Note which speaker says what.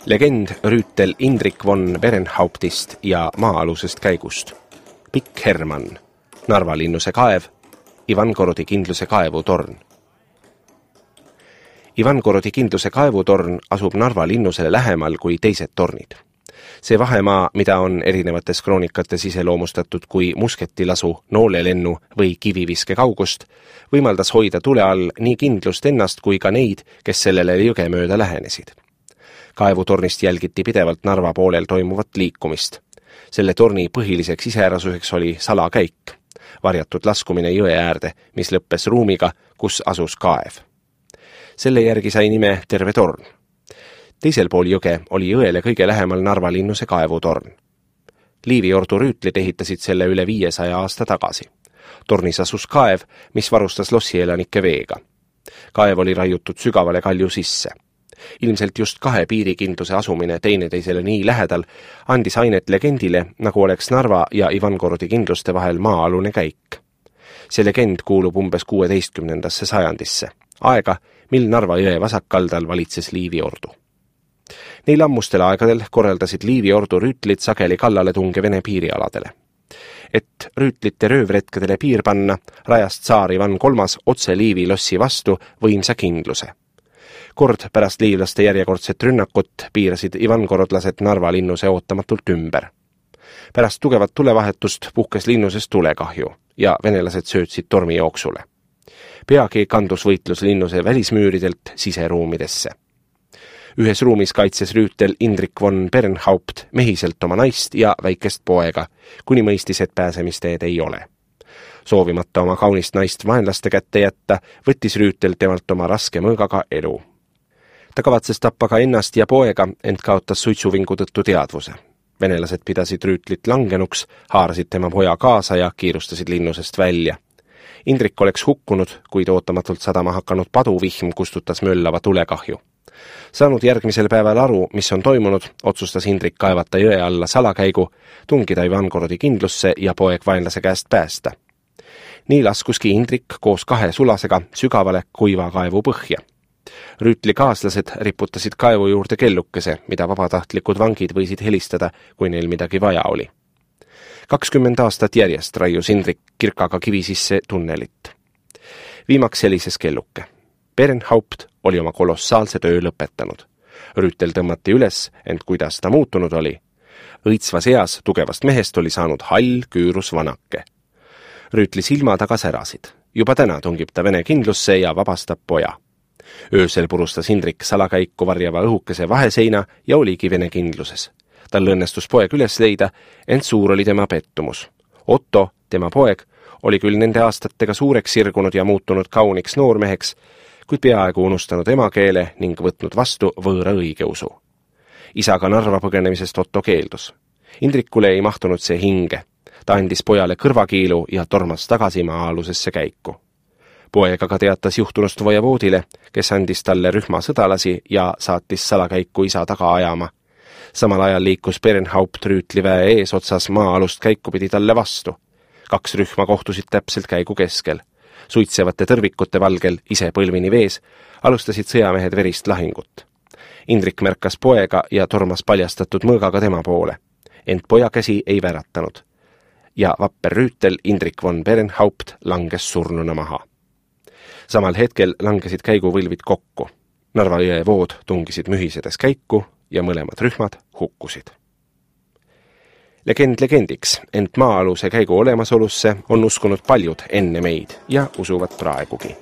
Speaker 1: Legend rüütel Indrik von Berenhauptist ja maa-alusest käigust. Pikk Hermann, Narva linnuse kaev, Ivangorodi kindluse kaevutorn. Ivangorodi kindluse kaevutorn asub Narva linnusele lähemal kui teised tornid. See vahemaa, mida on erinevates kroonikates iseloomustatud kui musketilasu, noolelennu või kiviviske kaugust, võimaldas hoida tule all nii kindlust ennast kui ka neid, kes sellele jõge mööda lähenesid. Kaevutornist jälgiti pidevalt Narva poolel toimuvat liikumist. Selle torni põhiliseks iseärasuseks oli salakäik, varjatud laskumine jõe äärde, mis lõppes ruumiga, kus asus kaev. Selle järgi sai nime terve torn. Teisel pool jõge oli jõele kõige lähemal Narva linnuse kaevutorn. Liiviordu rüütlid ehitasid selle üle 500 aasta tagasi. Tornis asus kaev, mis varustas lossielanike veega. Kaev oli raiutud sügavale kalju sisse. Ilmselt just 2 piirikindluse asumine teineteisele nii lähedal andis ainet legendile, nagu oleks Narva ja Ivangorodi kindluste vahel maa-alune käik. See legend kuulub umbes 16. sajandisse, aega, mil Narva jõe vasakkaldal valitses Liiviordu. Neil ammustel aegadel korraldasid Liiviordu rüütlid sageli kallale tunge Vene piirialadele. Et rüütlite röövretkedele piir panna, rajas tsaar Ivan III otse Liivi lossi vastu võimsa kindluse. Kord pärast liivlaste järjekordset rünnakut piirasid ivangorodlased Narva linnuse ootamatult ümber. Pärast tugevat tulevahetust puhkes linnusest tulekahju ja venelased söötsid tormi jooksule. Peagi kandus võitlus linnuse välismüüridelt siseruumidesse. Ühes ruumis kaitses rüütel Indrik von Berenhaupt mehiselt oma naist ja väikest poega, kuni mõistis, et pääsemisteed ei ole. Soovimata oma kaunist naist vaenlaste kätte jätta, võttis rüütel temalt oma raske mõõgaga elu. Ta kavatses tappa ka ennast ja poega, ent kaotas suitsuvingu tõttu teadvuse. Venelased pidasid rüütlit langenuks, haarasid tema poja kaasa ja kiirustasid linnusest välja. Indrik oleks hukkunud, kuid ootamatult sadama hakanud paduvihm kustutas möllava tulekahju. Saanud järgmisel päeval aru, mis on toimunud, otsustas Indrik kaevata jõe alla salakäigu, tungida Ivangorodi kindlusse ja poeg vaenlase käest päästa. Nii laskuski Indrik koos 2 sulasega sügavale kuiva kaevu põhja. Rüütli kaaslased riputasid kaevu juurde kellukese, mida vabatahtlikud vangid võisid helistada, kui neil midagi vaja oli. 20 aastat järjest raius Indrik kirkaga kivi sisse tunnelit. Viimaks helises kelluke. Berenhaupt oli oma kolossaalse töö lõpetanud. Rüütel tõmmati üles, ent kuidas ta muutunud oli? Õitsvas eas tugevast mehest oli saanud hall küürus vanake. Rüütli silma taga särasid. Juba täna tungib ta Vene kindlusse ja vabastab poja. Öösel purustas Indrik salakäiku varjava õhukese vaheseina ja oligi Vene kindluses. Tal õnnestus poeg üles leida, ent suur oli tema pettumus. Otto, tema poeg, oli küll nende aastatega suureks sirgunud ja muutunud kauniks noormeheks, kuid peaaegu unustanud emakeele ning võtnud vastu võõra õigeusu. Isaga Narva põgenemisest Otto keeldus. Indrikule ei mahtunud see hinge. Ta andis pojale kõrvakiilu ja tormas tagasi maa-alusesse käiku. Poeg aga teatas juhtunust vojavoodile, kes andis talle rühma sõdalasi ja saatis salakäiku isa taga ajama. Samal ajal liikus Berenhaupt rüütliväe eesotsas maa-alust käiku pidi talle vastu. 2 rühma kohtusid täpselt käigu keskel. Suitsevate tõrvikute valgel, ise põlvini vees, alustasid sõjamehed verist lahingut. Indrik märkas poega ja tormas paljastatud mõõgaga tema poole, ent poja käsi ei väratanud. Ja vapper rüütel Indrik von Berenhaupt langes surnuna maha. Samal hetkel langesid käiguvõlvid kokku. Narva jõe vood tungisid mühisedes käiku ja mõlemad rühmad hukkusid. Legend legendiks, ent maa-aluse käigu olemasolusse on uskunud paljud enne meid ja usuvad praegugi.